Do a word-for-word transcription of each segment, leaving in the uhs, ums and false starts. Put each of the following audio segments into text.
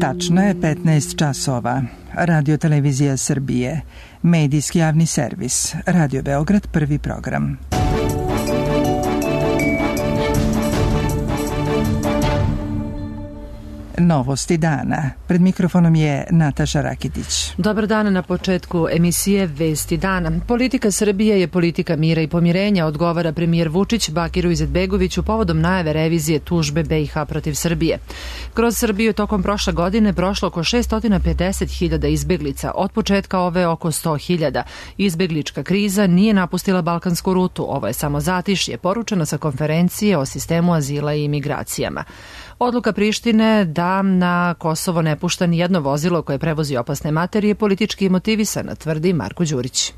Tačno je petnaest časova. Radio Televizija Srbije. Medijski javni servis. Radio Beograd, prvi program. Novosti dana. Pred mikrofonom je Nataša Rakitić. Dobar dan. Na početku emisije Vesti dana. Politika Srbije je politika mira i pomirenja, odgovara premijer Vučić Bakiru Izetbegoviću povodom najave revizije tužbe B i H protiv Srbije. Kroz Srbiju tokom prošle godine prošlo oko šesto pedeset hiljada izbeglica, od početka ove oko sto hiljada. Izbeglička kriza nije napustila balkansku rutu, ovo je samo zatišje, poručeno sa konferencije o sistemu azila i imigracijama. Odluka Prištine da na Kosovo ne pušta ni jedno vozilo koje prevozi opasne materije politički motivisana, tvrdi Marko Đurić.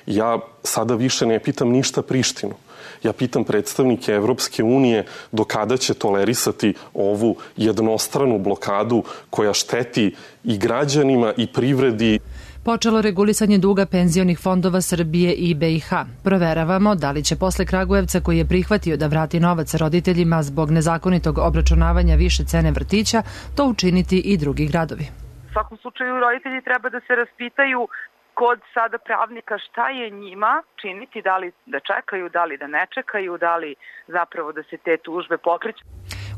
Ja sada više ne pitam ništa Prištinu. Ja pitam predstavnike Evropske unije do kada će tolerisati ovu jednostranu blokadu koja šteti i građanima i privredi. Počelo regulisanje duga penzionih fondova Srbije i B i H. Proveravamo da li će posle Kragujevca, koji je prihvatio da vrati novac roditeljima zbog nezakonitog obračunavanja više cene vrtića, to učiniti i drugi gradovi. U svakom slučaju roditelji treba da se raspitaju kod sada pravnika šta je njima činiti, da li da čekaju, da li da ne čekaju, da li zapravo da se te tužbe pokreću.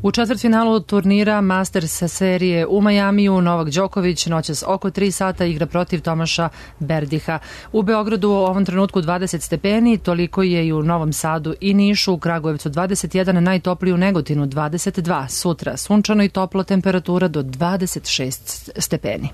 U četvrtfinalu turnira Masters serije u Majamiju Novak Đoković noćas oko tri sata igra protiv Tomaša Berdiha. U Beogradu u ovom trenutku dvadeset stepeni, toliko je i u Novom Sadu i Nišu, u Kragujevcu dvadeset jedan, najtopliji u Negotinu dvadeset dva. Sutra sunčano i toplo, temperatura do dvadeset šest stepeni.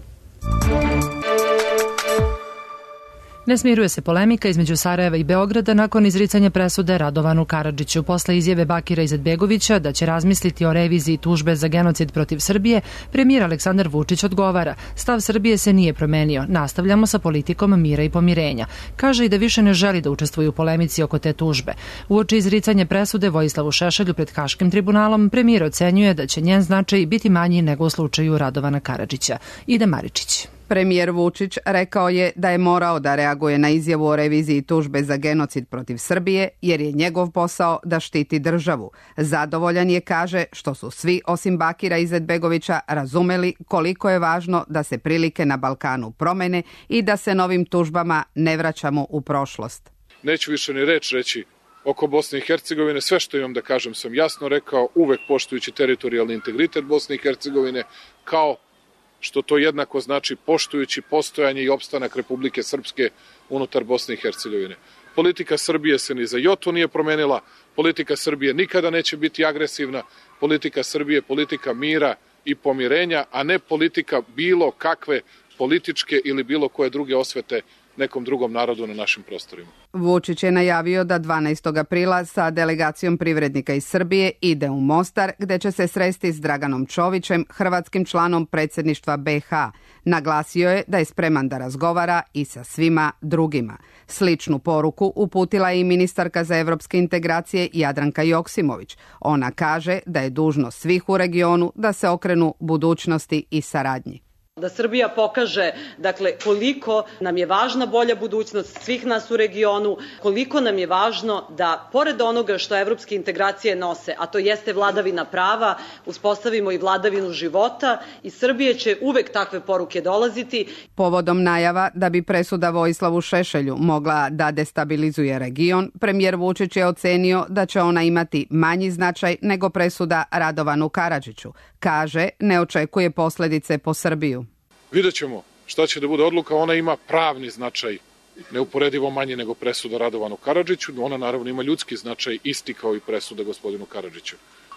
Ne smiruje se polemika između Sarajeva i Beograda nakon izricanja presude Radovanu Karadžiću. Posle izjave Bakira Izetbegovića da će razmisliti o reviziji tužbe za genocid protiv Srbije, premijer Aleksandar Vučić odgovara: stav Srbije se nije promenio, nastavljamo sa politikom mira i pomirenja. Kaže i da više ne želi da učestvuje u polemici oko te tužbe. Uoči izricanja presude Vojislavu Šešelju pred Haškim tribunalom, premijer ocenjuje da će njen značaj biti manji nego u slučaju Radovana Karadžića. Ide Maričić. Premijer Vučić rekao je da je morao da reaguje na izjavu o reviziji tužbe za genocid protiv Srbije, jer je njegov posao da štiti državu. Zadovoljan je, kaže, što su svi osim Bakira Izetbegovića razumeli koliko je važno da se prilike na Balkanu promene i da se novim tužbama ne vraćamo u prošlost. Neću više ni reč reći oko Bosne i Hercegovine. Sve što imam da kažem sam jasno rekao, uvek poštujući teritorijalni integritet Bosne i Hercegovine, kao što to jednako znači poštujući postojanje i opstanak Republike Srpske unutar Bosne i Hercegovine. Politika Srbije se ni za jotu nije promenila, politika Srbije nikada neće biti agresivna, politika Srbije je politika mira i pomirenja, a ne politika bilo kakve političke ili bilo koje druge osvete nekom drugom narodu na našim prostorima. Vučić je najavio da dvanaestog aprila sa delegacijom privrednika iz Srbije ide u Mostar, gde će se sresti s Draganom Čovićem, hrvatskim članom predsjedništva B i H. Naglasio je da je spreman da razgovara i sa svima drugima. Sličnu poruku uputila je i ministarka za evropske integracije Jadranka Joksimović. Ona kaže da je dužnost svih u regionu da se okrenu budućnosti i saradnji. Da Srbija pokaže, dakle, koliko nam je važna bolja budućnost svih nas u regionu, koliko nam je važno da, pored onoga što evropske integracije nose, a to jeste vladavina prava, uspostavimo i vladavinu života, i Srbije će uvek takve poruke dolaziti. Povodom najava da bi presuda Vojislavu Šešelju mogla da destabilizuje region, premijer Vučić je ocenio da će ona imati manji značaj nego presuda Radovanu Karadžiću. Kaže, ne očekuje posljedice po Srbiju. Vidjet ćemo šta će da bude odluka, ona ima pravni značaj, neuporedivo manji nego presuda Radovanu Karadžiću, ona naravno ima ljudski značaj, isti kao i presuda gospodinu Karadžiću.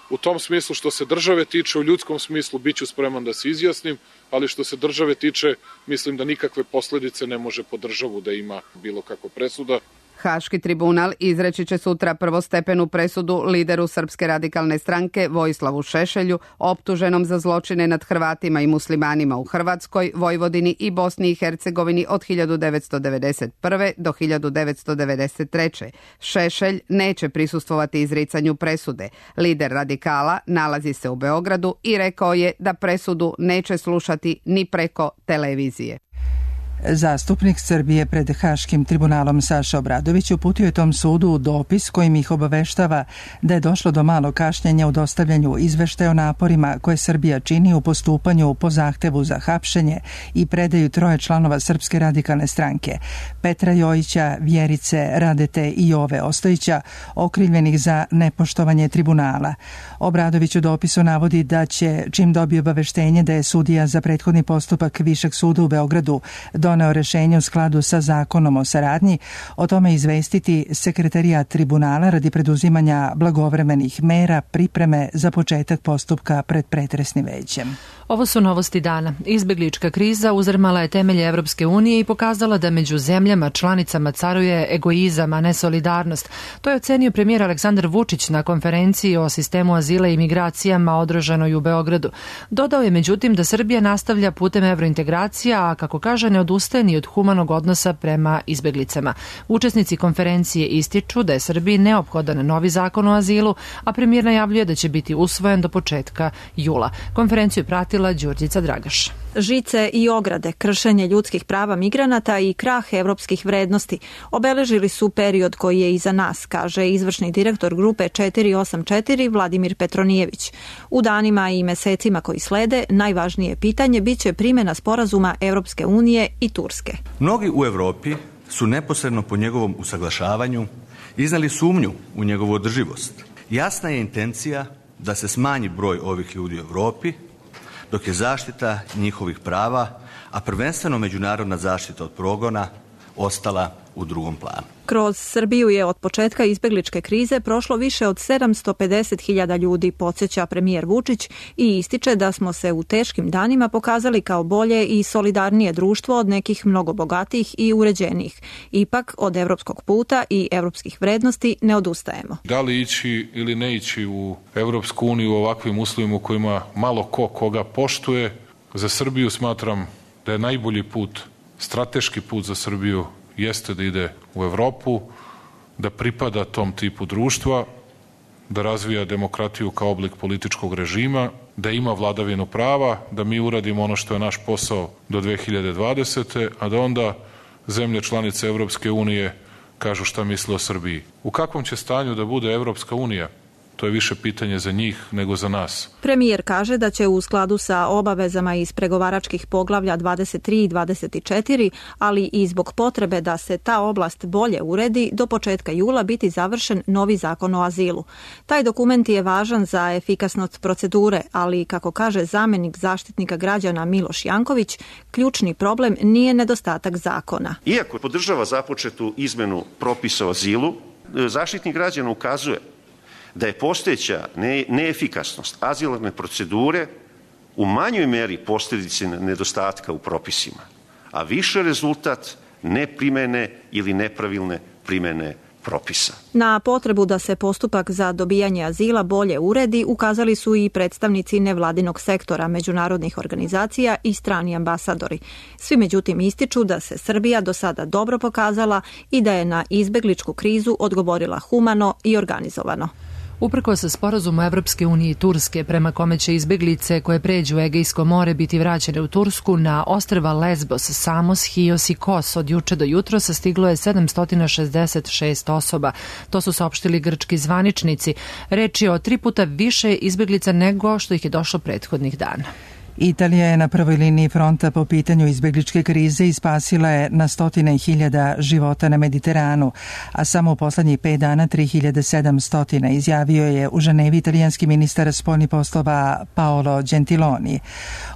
U tom smislu što se države tiče, u ljudskom smislu bit ću spreman da se izjasnim, ali što se države tiče, mislim da nikakve posljedice ne može po državu da ima bilo kakva presuda. Haški tribunal izreći će sutra prvostepenu presudu lideru Srpske radikalne stranke Vojislavu Šešelju, optuženom za zločine nad Hrvatima i muslimanima u Hrvatskoj, Vojvodini i Bosni i Hercegovini od hiljadu devetsto devedeset prve do hiljadu devetsto devedeset treće. Šešelj neće prisustvovati izricanju presude. Lider radikala nalazi se u Beogradu i rekao je da presudu neće slušati ni preko televizije. Zastupnik Srbije pred Haškim tribunalom Saša Obradović uputio je tom sudu dopis kojim ih obaveštava da je došlo do malog kašnjenja u dostavljanju izveštaja o naporima koje Srbija čini u postupanju po zahtevu za hapšenje i predaju troje članova Srpske radikalne stranke, Petra Jojića, Vjerice Radete i Jove Ostojića, okrivljenih za nepoštovanje tribunala. Obradović u dopisu navodi da će, čim dobije obaveštenje da je sudija za prethodni postupak Višeg suda u Beogradu doneo rešenje u skladu sa zakonom o saradnji, o tome izvestiti sekretarijat tribunala radi preduzimanja blagovremenih mera pripreme za početak postupka pred pretresnim većem. Ovo su novosti dana. Izbeglička kriza uzrmala je temelje Evropske unije i pokazala da među zemljama članicama caruje egoizam, a ne solidarnost. To je ocenio premijer Aleksandar Vučić na konferenciji o sistemu azila i migracijama održanoj u Beogradu. Dodao je međutim da Srbija nastavlja putem evrointegracija, a kako kaže ne odustaje ni od humanog odnosa prema izbeglicama. Učesnici konferencije ističu da je Srbiji neophodan novi zakon o azilu, a premijer najavljuje da će biti usvojen do početka jula. Konferenciju je pratila Đurđica Dragaš. Žice i ograde, kršenje ljudskih prava migranata i krah evropskih vrednosti obeležili su period koji je iza nas, kaže izvršni direktor grupe četiri osam četiri Vladimir Petronijević. U danima i mesecima koji slede, najvažnije pitanje biće primjena sporazuma Evropske unije i Turske. Mnogi u Evropi su neposredno po njegovom usaglašavanju iznali sumnju u njegovu održivost. Jasna je intencija da se smanji broj ovih ljudi u Evropi, dok je zaštita njihovih prava, a prvenstveno međunarodna zaštita od progona, ostala u drugom planu. Kroz Srbiju je od početka izbegličke krize prošlo više od sedamsto pedeset hiljada ljudi, podsjeća premijer Vučić i ističe da smo se u teškim danima pokazali kao bolje i solidarnije društvo od nekih mnogo bogatijih i uređenijih. Ipak od evropskog puta i evropskih vrednosti ne odustajemo. Da li ići ili ne ići u Evropsku uniju u ovakvim uslovima u kojima malo ko koga poštuje, za Srbiju smatram da je najbolji put, strateški put za Srbiju jeste da ide u Evropu, da pripada tom tipu društva, da razvija demokratiju kao oblik političkog režima, da ima vladavinu prava, da mi uradimo ono što je naš posao do dve hiljade dvadesete. a da onda zemlje članice Evropske unije kažu šta misle o Srbiji. U kakvom će stanju da bude Evropska unija? To je više pitanje za njih nego za nas. Premijer kaže da će u skladu sa obavezama iz pregovaračkih poglavlja dvadeset tri i dvadeset četiri, ali i zbog potrebe da se ta oblast bolje uredi, do početka jula biti završen novi zakon o azilu. Taj dokument je važan za efikasnost procedure, ali, kako kaže zamjenik zaštitnika građana Miloš Janković, ključni problem nije nedostatak zakona. Iako podržava započetu izmenu propisa o azilu, Zaštitnik građana ukazuje da je postojeća neefikasnost azilarne procedure u manjoj meri posljedice nedostatka u propisima, a više rezultat neprimene ili nepravilne primene propisa. Na potrebu da se postupak za dobijanje azila bolje uredi ukazali su i predstavnici nevladinog sektora, međunarodnih organizacija i strani ambasadori. Svi međutim ističu da se Srbija do sada dobro pokazala i da je na izbegličku krizu odgovorila humano i organizovano. Uprkos sa sporazumu Evropske unije i Turske, prema kome će izbeglice koje pređu Egejsko more biti vraćene u Tursku, na ostrva Lesbos, Samos, Hios i Kos od juče do jutro stiglo je sedamsto šezdeset šest osoba. To su saopštili grčki zvaničnici. Reč je o tri puta više izbeglica nego što ih je došlo prethodnih dana. Italija je na prvoj liniji fronta po pitanju izbegličke krize i spasila je na stotine hiljada života na Mediteranu, a samo u poslednjih pet dana tri hiljade sedamsto izjavio je u Ženevi italijanski ministar spoljnih poslova Paolo Gentiloni.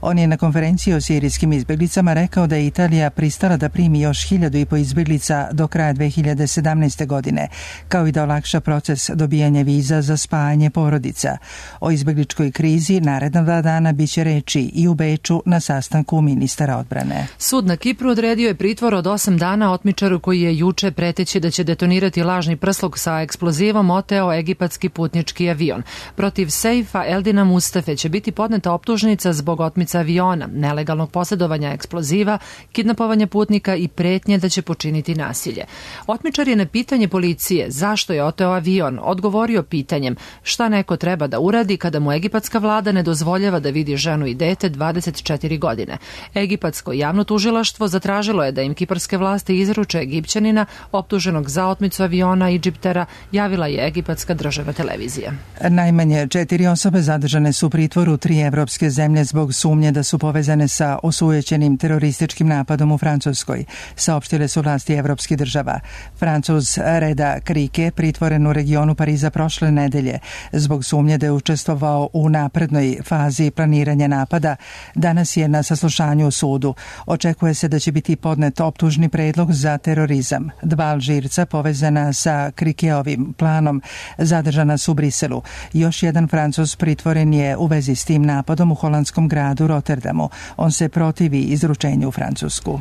On je na konferenciji o sirijskim izbeglicama rekao da je Italija pristala da primi još hiljadu i po izbeglica do kraja dve hiljade sedamnaeste. godine, kao i da olakša proces dobijanja viza za spajanje porodica. O izbegličkoj krizi naredna dva dana biće reči i u Beču na sastanku ministara odbrane. Sud na Kipru odredio je pritvor od osam dana otmičaru koji je juče, preteći da će detonirati lažni prsluk sa eksplozivom, oteo egipatski putnički avion. Protiv Seifa Eldina Mustafe će biti podneta optužnica zbog otmica aviona, nelegalnog posjedovanja eksploziva, kidnapovanja putnika i pretnje da će počiniti nasilje. Otmičar je na pitanje policije zašto je oteo avion odgovorio pitanjem šta neko treba da uradi kada mu egipatska vlada ne dozvoljava da vidi ženu i dete mete dvadeset četiri godine. Egipatsko javno tužilaštvo zatražilo je da im kiparske vlasti izruče Egipćanina optuženog za otmicu aviona Idžiptera, javila je egipatska državna televizija. Najmanje četiri osobe zadržane su u pritvoru tri evropske zemlje zbog sumnje da su povezane sa osujećenim terorističkim napadom u Francuskoj, saopštile su vlasti evropskih država. Francuz Reda Krike pritvoren u regionu Pariza prošle nedelje zbog sumnje da je učestvovao u naprednoj fazi planiranja napada. Danas je na saslušanju u sudu. Očekuje se da će biti podnet optužni predlog za terorizam. Dva Alžirca povezana sa Krikeovim planom zadržana su u Briselu. Još jedan Francuz pritvoren je u vezi s tim napadom u holandskom gradu Rotterdamu. On se protivi izručenju u Francusku.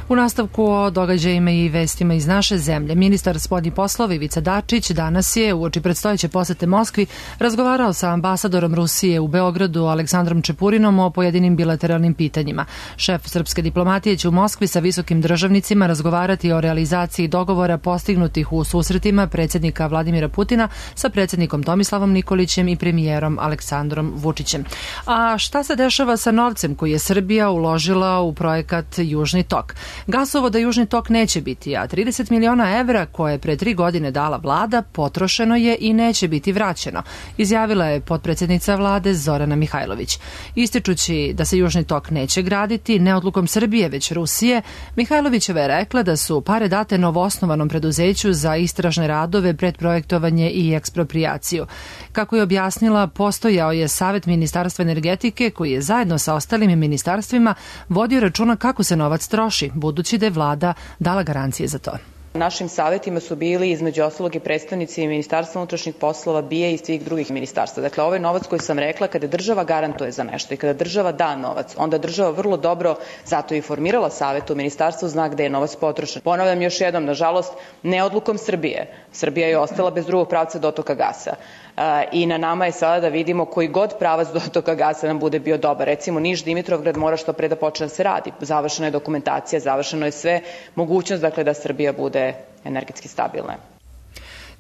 U nastavku o događajima i vestima iz naše zemlje, ministar spoljnih poslova Ivica Dačić danas je uoči predstojeće posete Moskvi razgovarao sa ambasadorom Rusije u Beogradu Aleksandrom Čepurinom o pojedinim bilateralnim pitanjima. Šef srpske diplomatije će u Moskvi sa visokim državnicima razgovarati o realizaciji dogovora postignutih u susretima predsjednika Vladimira Putina sa predsjednikom Tomislavom Nikolićem i premijerom Aleksandrom Vučićem. A šta se dešava sa novcem koji je Srbija uložila u projekat Južni tok? Gasovoda Južni tok neće biti, a trideset miliona evra koje je pre tri godine dala vlada potrošeno je i neće biti vraćeno, izjavila je potpredsjednica vlade Zorana Mihajlović. Ističući da se Južni tok neće graditi ne odlukom Srbije već Rusije, Mihajlovićeva je rekla da su pare date novoosnovanom preduzeću za istražne radove, predprojektovanje i eksproprijaciju. Kako je objasnila, postojao je Savet Ministarstva energetike koji je zajedno sa ostalim ministarstvima vodio računa kako se novac troši, budući da je vlada dala garancije za to. Našim savjetima su bili između ostalog i predstavnici Ministarstva unutrašnjih poslova, B I A i svih drugih ministarstva. Dakle, ovaj novac koji sam rekla, kada država garantuje za nešto i kada država da novac, onda država vrlo dobro, zato i formirala savjet u ministarstvu, zna gde je novac potrošen. Ponavljam još jednom, nažalost, ne odlukom Srbije. Srbija je ostala bez drugog pravca dotoka gasa. I na nama je sada da vidimo koji god pravac dotoka gasa nam bude bio dobar. Recimo, Niš-Dimitrovgrad mora što pre da počne da se radi. Završena je dokumentacija, završeno je sve, mogućnost dakle da Srbija bude energetski stabilna.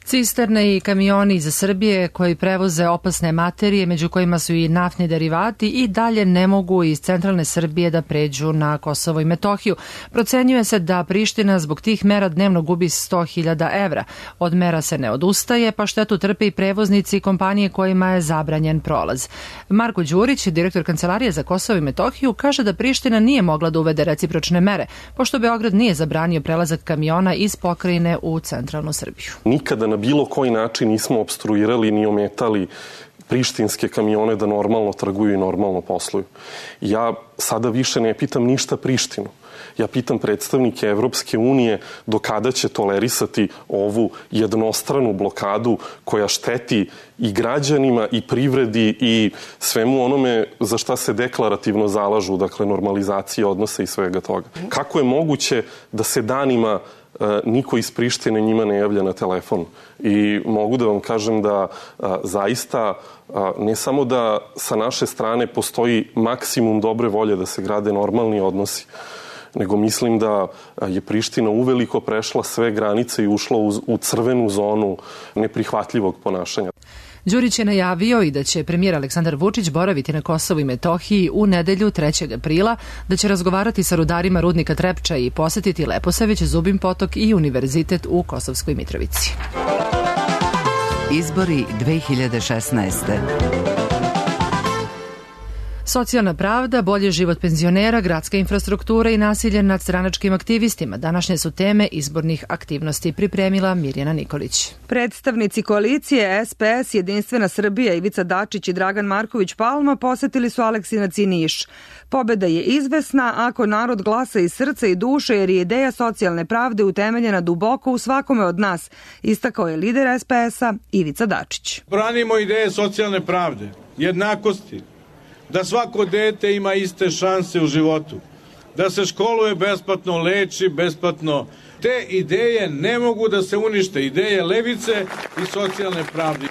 Cisterne i kamioni iz Srbije koji prevoze opasne materije, među kojima su i naftni derivati, i dalje ne mogu iz centralne Srbije da pređu na Kosovo i Metohiju. Procenjuje se da Priština zbog tih mera dnevno gubi sto hiljada evra. Od mera se ne odustaje, pa štetu trpe i prevoznici i kompanije kojima je zabranjen prolaz. Marko Đurić, direktor Kancelarije za Kosovo i Metohiju, kaže da Priština nije mogla da uvede recipročne mere, pošto Beograd nije zabranio prelazak kamiona iz pokrajine u centralnu Srbiju. Nikada na bilo koji način nismo opstruirali ni ometali prištinske kamione da normalno trguju i normalno posluju. Ja sada više ne pitam ništa Prištinu. Ja pitam predstavnike Evropske unije do kada će tolerisati ovu jednostranu blokadu koja šteti i građanima i privredi i svemu onome za šta se deklarativno zalažu, dakle normalizacije odnosa i svega toga. Kako je moguće da se danima niko iz Prištine njima ne javlja na telefon? I mogu da vam kažem da a, zaista a, ne samo da sa naše strane postoji maksimum dobre volje da se grade normalni odnosi, nego mislim da je Priština uveliko prešla sve granice i ušla u, u crvenu zonu neprihvatljivog ponašanja. Đurić je najavio i da će premijer Aleksandar Vučić boraviti na Kosovu i Metohiji u nedelju trećeg aprila, da će razgovarati sa rudarima rudnika Trepča i posetiti Leposavić, Zubin Potok i Univerzitet u Kosovskoj Mitrovici. Izbori dve hiljade šesnaeste. Socijalna pravda, bolji život penzionera, gradska infrastruktura i nasilje nad stranačkim aktivistima. Današnje su teme izbornih aktivnosti, pripremila Mirjana Nikolić. Predstavnici koalicije S P S, Jedinstvena Srbija, Ivica Dačić i Dragan Marković Palma posetili su Aleksinac i Niš. Pobeda je izvesna ako narod glasa iz srca i duše, jer je ideja socijalne pravde utemeljena duboko u svakome od nas, istakao je lider S P S-a Ivica Dačić. Branimo ideje socijalne pravde, jednakosti, da svako dete ima iste šanse u životu, da se školuje besplatno, leči besplatno. Te ideje ne mogu da se unište, ideje levice i socijalne pravde.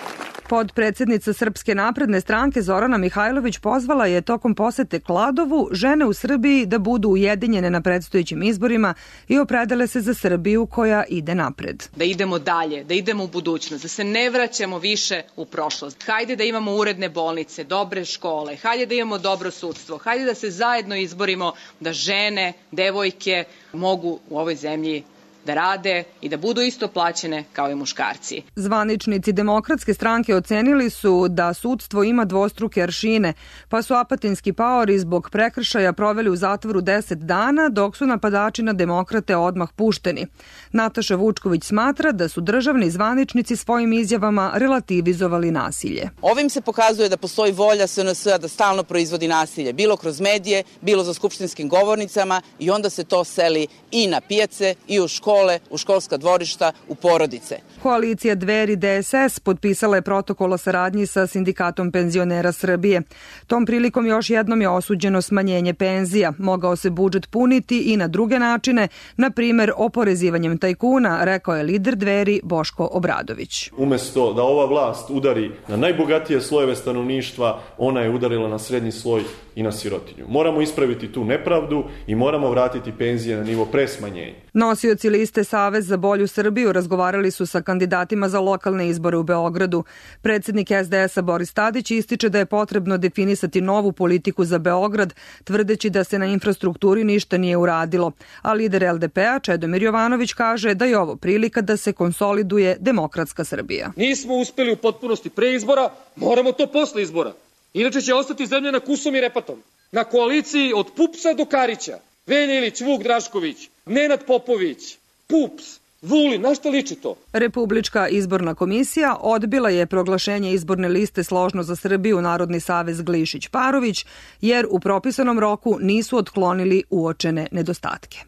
Podpredsednica Srpske napredne stranke Zorana Mihajlović pozvala je tokom posete Kladovu žene u Srbiji da budu ujedinjene na predstojećim izborima i opredele se za Srbiju koja ide napred. Da idemo dalje, da idemo u budućnost, da se ne vraćamo više u prošlost. Hajde da imamo uredne bolnice, dobre škole, hajde da imamo dobro sudstvo, hajde da se zajedno izborimo da žene, devojke mogu u ovoj zemlji da rade i da budu isto plaćene kao i muškarci. Zvaničnici Demokratske stranke ocenili su da sudstvo ima dvostruke aršine, pa su apatinski paori zbog prekršaja proveli u zatvoru deset dana, dok su napadači na demokrate odmah pušteni. Nataša Vučković smatra da su državni zvaničnici svojim izjavama relativizovali nasilje. Ovim se pokazuje da postoji volja S N S-a da stalno proizvodi nasilje, bilo kroz medije, bilo za skupštinskim govornicama i onda se to seli i na pijace i u škole, u školska dvorišta, u porodice. Koalicija Dveri D S S potpisala je protokol o saradnji sa Sindikatom penzionera Srbije. Tom prilikom još jednom je osuđeno smanjenje penzija. Mogao se budžet puniti i na druge načine, na primer oporezivanjem tajkuna, rekao je lider Dveri Boško Obradović. Umesto da ova vlast udari na najbogatije slojeve stanovništva, ona je udarila na srednji sloj i na sirotinju. Moramo ispraviti tu nepravdu i moramo vratiti penzije na nivo pre smanjenja. Nosioci liste Savez za bolju Srbiju razgovarali su sa kandidatima za lokalne izbore u Beogradu. Predsednik S D S-a Boris Tadić ističe da je potrebno definisati novu politiku za Beograd, tvrdeći da se na infrastrukturi ništa nije uradilo. A lider L D P-a Čedomir Jovanović kaže da je ovo prilika da se konsoliduje demokratska Srbija. Nismo uspeli u potpunosti pre izbora, moramo to posle izbora. Inače će ostati zemlja na kusom i repatom. Na koaliciji od Pupsa do Karića. Velja Ilić, Vuk Drašković, Nenad Popović, Pups, Vulin, na šta liči to? Republička izborna komisija odbila je proglašenje izborne liste Složno za Srbiju Narodni savez Glišić-Parović, jer u propisanom roku nisu otklonili uočene nedostatke.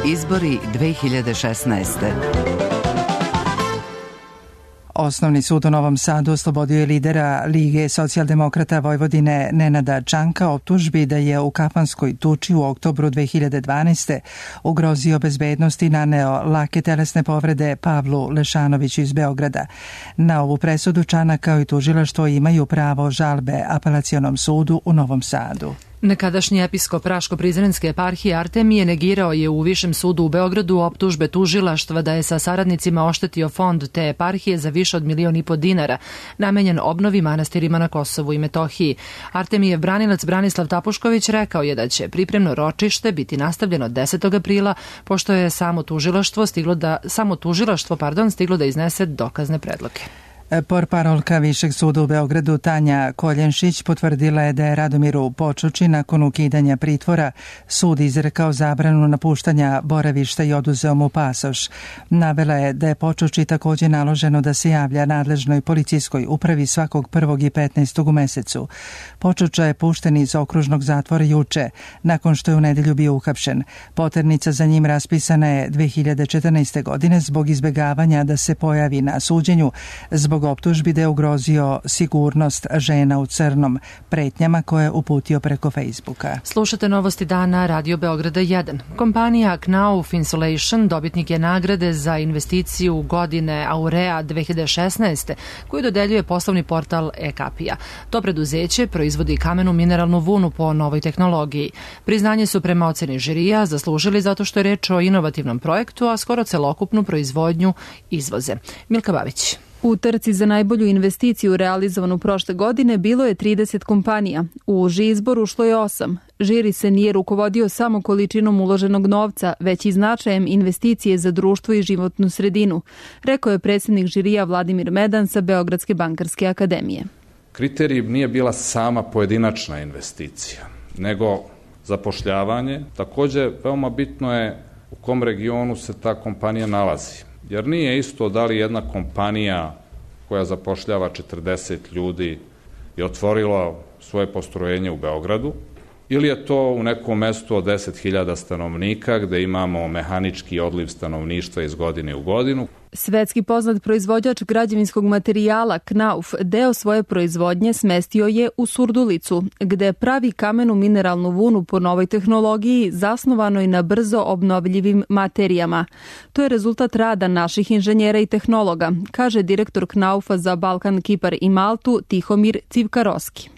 Izbori dve hiljade šesnaeste. Osnovni sud u Novom Sadu oslobodio je lidera Lige socijaldemokrata Vojvodine Nenada Čanka optužbi da je u kafanskoj tuči u oktobru dve hiljade dvanaeste. ugrozio bezbednost i naneo lake telesne povrede Pavlu Lešanoviću iz Beograda. Na ovu presudu Čanak kao i tužilaštvo imaju pravo žalbe Apelacionom sudu u Novom Sadu. Nekadašnji episkop Raško-Prizrenske eparhije Artemije negirao je u Višem sudu u Beogradu optužbe tužilaštva da je sa saradnicima oštetio fond te eparhije za više od milion i po dinara, namenjen obnovi manastirima na Kosovu i Metohiji. Artemijev branilac Branislav Tapušković rekao je da će pripremno ročište biti nastavljeno desetog aprila, pošto je samo tužilaštvo stiglo da, samo tužilaštvo, pardon, stiglo da iznese dokazne predloge. Portparolka Višeg suda u Beogradu Tanja Koljenšić potvrdila je da je Radomiru Počuči nakon ukidanja pritvora sud izrekao zabranu napuštanja boravišta i oduzeo mu pasoš. Navela je da je Počuči također naloženo da se javlja nadležnoj policijskoj upravi svakog prvog i petnaestog u mesecu. Počuča je pušten iz okružnog zatvora juče, nakon što je u nedelju bio uhapšen. Poternica za njim raspisana je dve hiljade četrnaeste. godine zbog izbjegavanja da se pojavi na suđenju, zbog optužbi da je ugrozio sigurnost žena u crnom, pretnjama koje je uputio preko Facebooka. Slušate novosti dana Radio Beograda jedan. Kompanija Knauf Insulation dobitnik je nagrade za investiciju godine Aurea dve hiljade šesnaeste. koju dodeljuje poslovni portal e-Kapija. To preduzeće proizvodi kamenu mineralnu vunu po novoj tehnologiji. Priznanje su prema oceni žirija zaslužili zato što je reč o inovativnom projektu, a skoro celokupnu proizvodnju izvoze. Milka Babić. U trci za najbolju investiciju realizovanu prošle godine bilo je trideset kompanija. U uži izbor ušlo je osam. Žiri se nije rukovodio samo količinom uloženog novca, već i značajem investicije za društvo i životnu sredinu, rekao je predsjednik žirija Vladimir Medan sa Beogradske bankarske akademije. Kriterij nije bila sama pojedinačna investicija, nego zapošljavanje. Također, veoma bitno je u kom regionu se ta kompanija nalazi. Jer nije isto da li jedna kompanija koja zapošljava četrdeset ljudi je otvorila svoje postrojenje u Beogradu ili je to u nekom mestu od deset hiljada stanovnika gde imamo mehanički odliv stanovništva iz godine u godinu. Svetski poznat proizvođač građevinskog materijala Knauf deo svoje proizvodnje smestio je u Surdulicu, gde pravi kamenu mineralnu vunu po novoj tehnologiji zasnovanoj na brzo obnovljivim materijama. To je rezultat rada naših inženjera i tehnologa, kaže direktor Knaufa za Balkan, Kipar i Maltu Tihomir Civkaroski.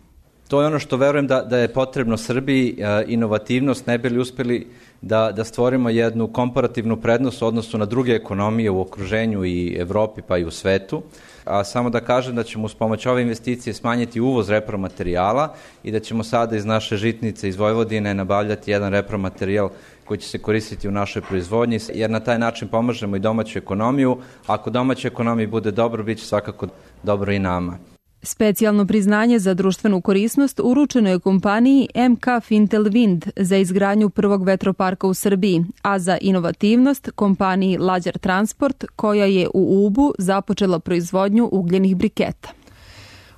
To je ono što verujem da, da je potrebno Srbiji, inovativnost, ne bi li uspeli da, da stvorimo jednu komparativnu prednost u odnosu na druge ekonomije u okruženju i Evropi pa i u svetu. A samo da kažem da ćemo uz pomoć ove investicije smanjiti uvoz repromaterijala i da ćemo sada iz naše žitnice iz Vojvodine nabavljati jedan repromaterijal koji će se koristiti u našoj proizvodnji, jer na taj način pomažemo i domaću ekonomiju. Ako domaća ekonomija bude dobro, bit će svakako dobro i nama. Specijalno priznanje za društvenu korisnost uručeno je kompaniji M K Fintel Wind za izgradnju prvog vetroparka u Srbiji, a za inovativnost kompaniji Lađar Transport, koja je u Ubu započela proizvodnju ugljenih briketa.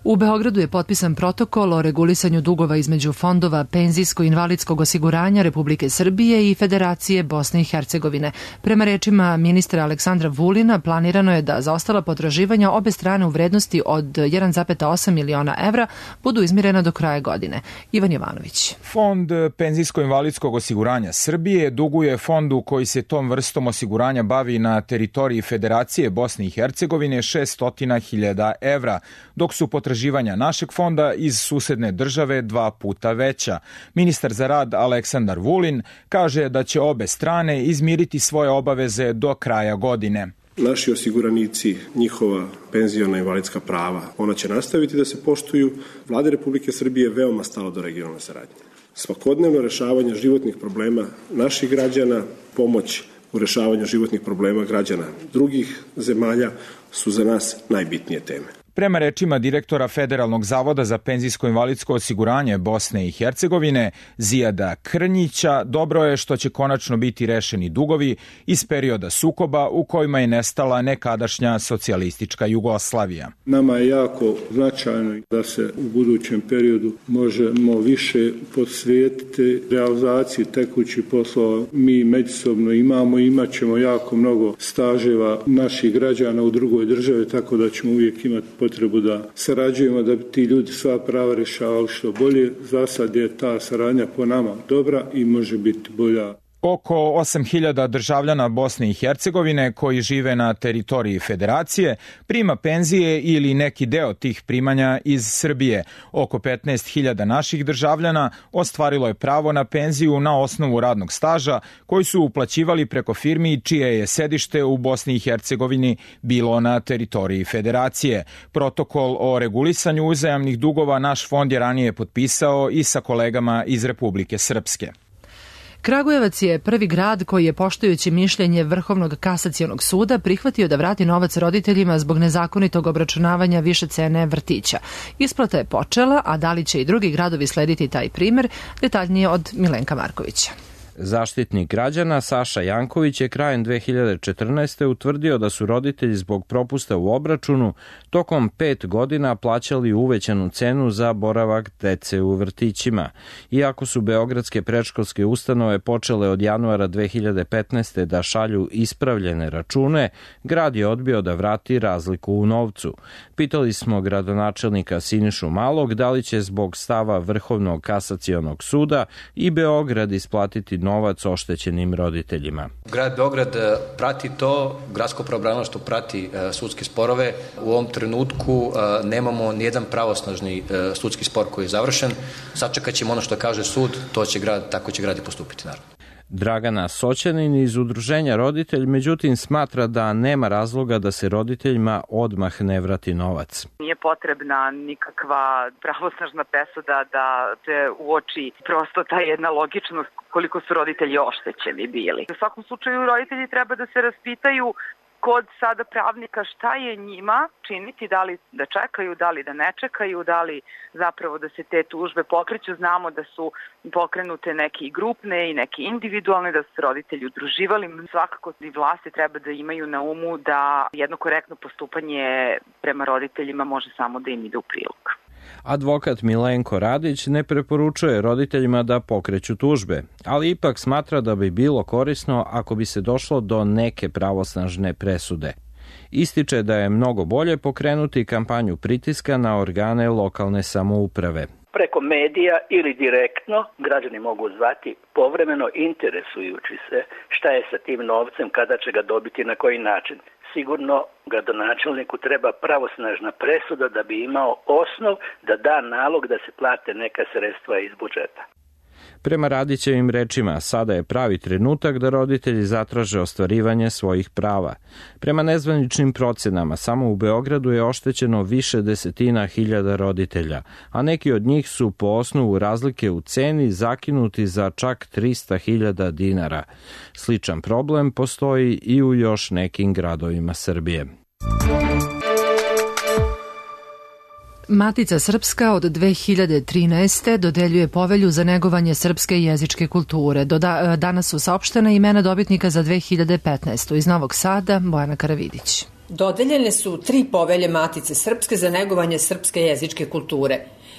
U Beogradu je potpisan protokol o regulisanju dugova između fondova penzijsko-invalidskog osiguranja Republike Srbije i Federacije Bosne i Hercegovine. Prema rečima ministra Aleksandra Vulina, planirano je da zaostala potraživanja obe strane u vrednosti od jedan zarez osam miliona evra budu izmirena do kraja godine. Ivan Jovanović. Fond penzijsko-invalidskog osiguranja Srbije duguje fondu koji se tom vrstom osiguranja bavi na teritoriji Federacije Bosne i Hercegovine šessto hiljada evra, dok su potraživanja našeg fonda iz susedne države dva puta veća. Ministar za rad Aleksandar Vulin kaže da će obe strane izmiriti svoje obaveze do kraja godine. Naši osiguranici, njihova penziona i invalidska prava, ona će nastaviti da se poštuju. Vlade Republike Srbije veoma stalo do regionalne saradnje. Svakodnevno rešavanje životnih problema naših građana, pomoć u rešavanju životnih problema građana drugih zemalja su za nas najbitnije teme. Prema rečima direktora Federalnog zavoda za penzijsko-invalidsko osiguranje Bosne i Hercegovine, Zijada Krnjića, dobro je što će konačno biti rešeni dugovi iz perioda sukoba u kojima je nestala nekadašnja socijalistička Jugoslavija. Nama je jako značajno da se u budućem periodu možemo više posvetiti realizaciji tekućih poslova. Mi međusobno imamo i imat ćemo jako mnogo staževa naših građana u drugoj državi, tako da ćemo uvijek imati potrebu da sarađujemo da bi ti ljudi sva prava rešavali što bolje. Za sad je ta saradnja po nama dobra i može biti bolja. Oko osam hiljada državljana Bosne i Hercegovine koji žive na teritoriji Federacije prima penzije ili neki deo tih primanja iz Srbije. Oko petnaest hiljada naših državljana ostvarilo je pravo na penziju na osnovu radnog staža koji su uplaćivali preko firmi čije je sedište u Bosni i Hercegovini bilo na teritoriji Federacije. Protokol o regulisanju uzajamnih dugova naš fond je ranije potpisao i sa kolegama iz Republike Srpske. Kragujevac je prvi grad koji je, poštujući mišljenje Vrhovnog kasacionog suda, prihvatio da vrati novac roditeljima zbog nezakonitog obračunavanja više cene vrtića. Isplata je počela, a da li će i drugi gradovi slediti taj primer, detaljnije od Milenka Markovića. Zaštitnik građana Saša Janković je krajem dve hiljade četrnaeste. utvrdio da su roditelji zbog propusta u obračunu tokom pet godina plaćali uvećanu cenu za boravak dece u vrtićima. Iako su beogradske predškolske ustanove počele od januara dve hiljade petnaeste. da šalju ispravljene račune, grad je odbio da vrati razliku u novcu. Pitali smo gradonačelnika Sinišu Malog da li će zbog stava Vrhovnog kasacionog suda i Beograd isplatiti novac oštećenim roditeljima. Grad Beograd prati to, gradsko pravobranilaštvo prati sudske sporove. U ovom trenutku nemamo nijedan pravosnažni sudski spor koji je završen. Sačekat ćemo ono što kaže sud, to će grad, tako će grad i postupiti, naravno. Dragana Soćanin iz Udruženja Roditelj, međutim, smatra da nema razloga da se roditeljima odmah ne vrati novac. Nije potrebna nikakva pravosnažna presuda da se uoči prosto ta jedna logičnost koliko su roditelji oštećeni bili. U svakom slučaju roditelji treba da se raspitaju kod sada pravnika šta je njima činiti, da li da čekaju, da li da ne čekaju, da li zapravo da se te tužbe pokreću. Znamo da su pokrenute neke i grupne i neke individualne, da su se roditelji udruživali. Svakako i vlasti treba da imaju na umu da jedno korektno postupanje prema roditeljima može samo da im ide u prilog. Advokat Milenko Radić ne preporučuje roditeljima da pokreću tužbe, ali ipak smatra da bi bilo korisno ako bi se došlo do neke pravosnažne presude. Ističe da je mnogo bolje pokrenuti kampanju pritiska na organe lokalne samouprave. Preko medija ili direktno građani mogu zvati povremeno interesujući se šta je sa tim novcem, kada će ga dobiti, na koji način. Sigurno gradonačelniku treba pravosnažna presuda da bi imao osnov da da nalog da se plate neka sredstva iz budžeta. Prema Radićevim rečima, sada je pravi trenutak da roditelji zatraže ostvarivanje svojih prava. Prema nezvaničnim procenama, samo u Beogradu je oštećeno više desetina hiljada roditelja, a neki od njih su po osnovu razlike u ceni zakinuti za čak trista hiljada dinara. Sličan problem postoji i u još nekim gradovima Srbije. Matica Srpska od dve hiljade trinaeste. dodeljuje povelju za negovanje srpske jezičke kulture. Do da, danas su saopštena imena dobitnika za dve hiljade petnaestu. Iz Novog Sada, Bojana Karavidić. Dodeljene su tri povelje Matice Srpske za negovanje srpske jezičke kulture.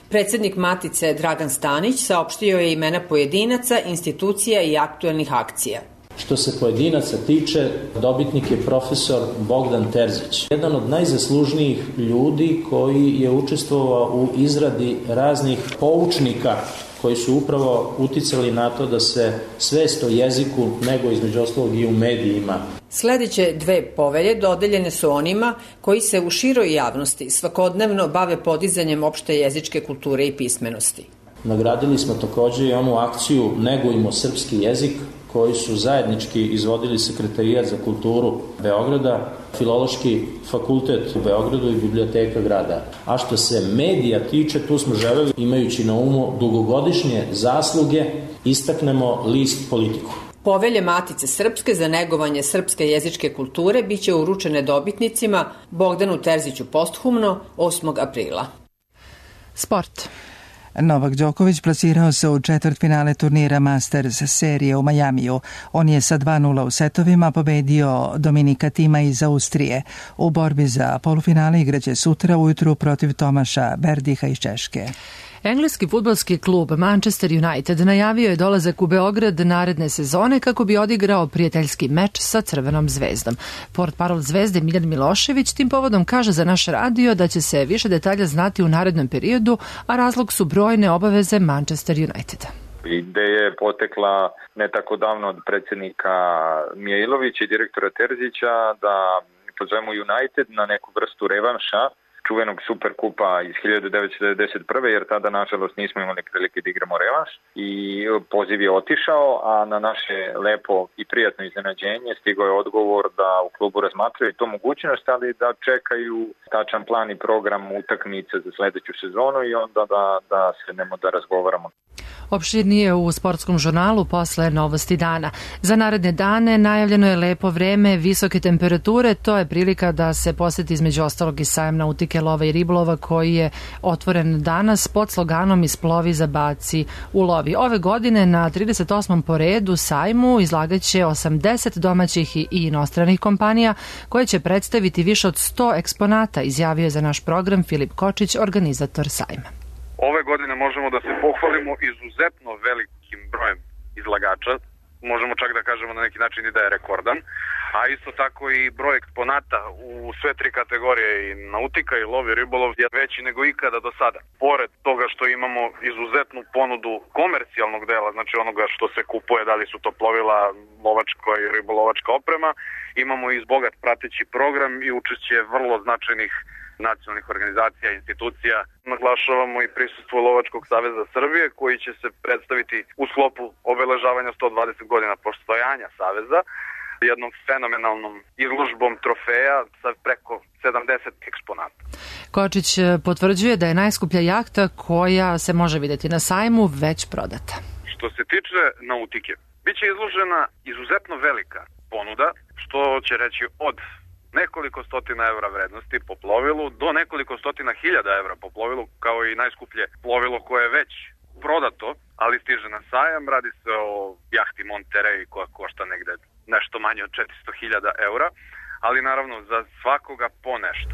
Predsednik Matice Dragan Stanić saopštio je imena pojedinaca, institucija i aktuelnih akcija. Što se pojedinaca tiče, dobitnik je profesor Bogdan Terzić, jedan od najzaslužnijih ljudi koji je učestvovao u izradi raznih poučnika koji su upravo uticali na to da se svest o jeziku nego između ostalog i u medijima. Sledeće dve povelje dodeljene su onima koji se u široj javnosti svakodnevno bave podizanjem opšte jezičke kulture i pismenosti. Nagradili smo takođe i onu akciju Negujmo srpski jezik, koji su zajednički izvodili Sekretarijat za kulturu Beograda, Filološki fakultet u Beogradu i Biblioteka grada. A što se medija tiče, tu smo želeli, imajući na umu dugogodišnje zasluge, istaknemo list Politiku. Povelje Matice Srpske za negovanje srpske jezičke kulture biće uručene dobitnicima Bogdanu Terziću posthumno osmog aprila. Sport. Novak Đoković plasirao se u četvrtfinale turnira Masters serije u Majamiju. On je sa dva nula u setovima pobedio Dominika Tima iz Austrije. U borbi za polufinale igraće sutra ujutru protiv Tomaša Berdiha iz Češke. Engleski fudbalski klub Manchester United najavio je dolazak u Beograd naredne sezone kako bi odigrao prijateljski meč sa Crvenom zvezdom. Portparol Zvezde Miljan Milošević tim povodom kaže za naš radio da će se više detalja znati u narednom periodu, a razlog su brojne obaveze Manchester Uniteda. Ideja je potekla ne tako davno od predsjednika Mijailovića i direktora Terzića da pozovemo United na neku vrstu revanša čuvenog Superkupa iz hiljadu devetsto devedeset prve. jer tada nažalost nismo imali prilike da igramo revanš i poziv je otišao, a na naše lepo i prijatno iznenađenje stigao je odgovor da u klubu razmatraju to mogućnost, ali da čekaju tačan plan i program utakmice za sledeću sezonu i onda da, da sednemo da razgovaramo. Opširnije u sportskom žurnalu posle Novosti dana. Za naredne dane najavljeno je lepo vreme, visoke temperature, to je prilika da se poseti između ostalog i sajam nautike, lova i ribolova koji je otvoren danas pod sloganom Isplovi, zabaci, ulovi. Ove godine na trideset osmom po redu sajmu izlagaće osamdeset domaćih i inostranih kompanija koje će predstaviti više od sto eksponata, izjavio je za naš program Filip Kočić, organizator sajma. Ove godine možemo da se pohvalimo izuzetno velikim brojem izlagača, možemo čak da kažemo na neki način i da je rekordan, a isto tako i broj eksponata u sve tri kategorije, i nautika i lov i ribolov, je veći nego ikada do sada. Pored toga što imamo izuzetnu ponudu komercijalnog dela, znači onoga što se kupuje, da li su to plovila, lovačka i ribolovačka oprema, imamo i bogat prateći program i učešće vrlo značajnih nacionalnih organizacija i institucija. Naglašavamo i prisustvo Lovačkog saveza Srbije koji će se predstaviti u sklopu obeležavanja sto dvadeset godina postojanja saveza jednom fenomenalnom izložbom trofeja sa preko sedamdeset eksponata. Kočić potvrđuje da je najskuplja jahta koja se može videti na sajmu već prodata. Što se tiče nautike, biće izložena izuzetno velika ponuda, što će reći od nekoliko stotina evra vrednosti po plovilu do nekoliko stotina hiljada evra po plovilu, kao i najskuplje plovilo koje je već prodato, ali stiže na sajam. Radi se o jahti Monterey koja košta negde nešto manje od četiristo hiljada eura, ali naravno za svakoga po nešto.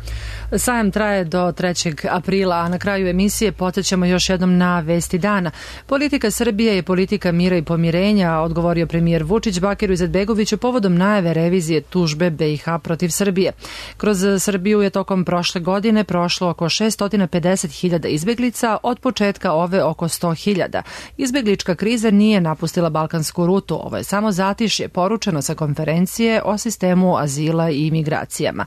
Sajam traje do trećeg aprila, a na kraju emisije podsjećamo još jednom na vesti dana. Politika Srbije je politika mira i pomirenja, odgovorio premijer Vučić Bakiru Izetbegoviću povodom najave revizije tužbe B i H protiv Srbije. Kroz Srbiju je tokom prošle godine prošlo oko šessto pedeset hiljada izbeglica, od početka ove oko sto hiljada. Izbeglička kriza nije napustila balkansku rutu, ovo je samo zatišje, poručeno sa konferencije o sistemu azila i imigracijama.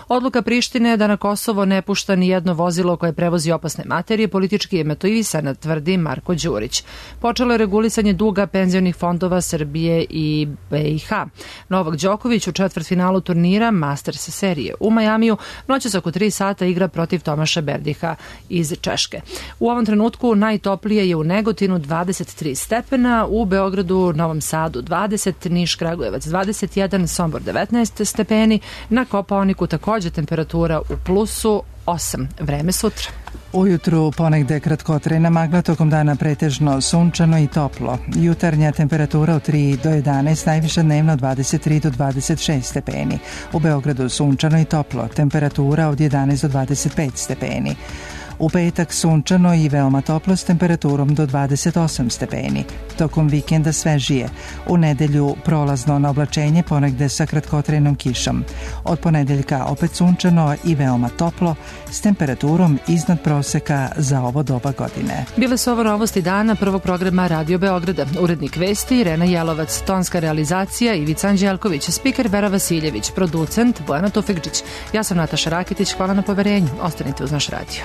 Odluka Prištine da na Kosovo ne pušta ni jedno vozilo koje prevozi opasne materije politički je motivisana, tvrdi Marko Đurić. Počelo je regulisanje duga penzionih fondova Srbije i B i H. Novak Đoković u četvrtfinalu turnira Masters serije u Majamiju noćas oko tri sata igra protiv Tomaša Berdiha iz Češke. U ovom trenutku najtoplije je u Negotinu dvadeset tri stepena, u Beogradu, Novom Sadu dvadeset, Niš, Kragujevac dvadeset jedan, Sombor devetnaest stepeni, na Kopaoniku takođe temperatura u plusu osam. Vreme sutra. Ujutru ponegde kratkotrajna magla, tokom dana pretežno sunčano i toplo. Jutarnja temperatura od tri do jedanaest, najviša dnevno dvadeset tri do dvadeset šest stepeni. U Beogradu sunčano i toplo, temperatura od jedanaest do dvadeset pet stepeni. U petak sunčano i veoma toplo s temperaturom do dvadeset osam stepeni. Tokom vikenda svežije. U nedelju prolazno na oblačenje, ponegde sa kratkotrajnom kišom. Od ponedeljka opet sunčano i veoma toplo s temperaturom iznad proseka za ovo doba godine. Bile su ovo novosti dana prvog programa Radio Beograda. Urednik vesti Irena Jelovac, tonska realizacija Ivica Anđelković, spiker Vera Vasiljević, producent Bojana Tufekđić. Ja sam Nataša Rakitić, hvala na poverenju. Ostanite uz naš radio.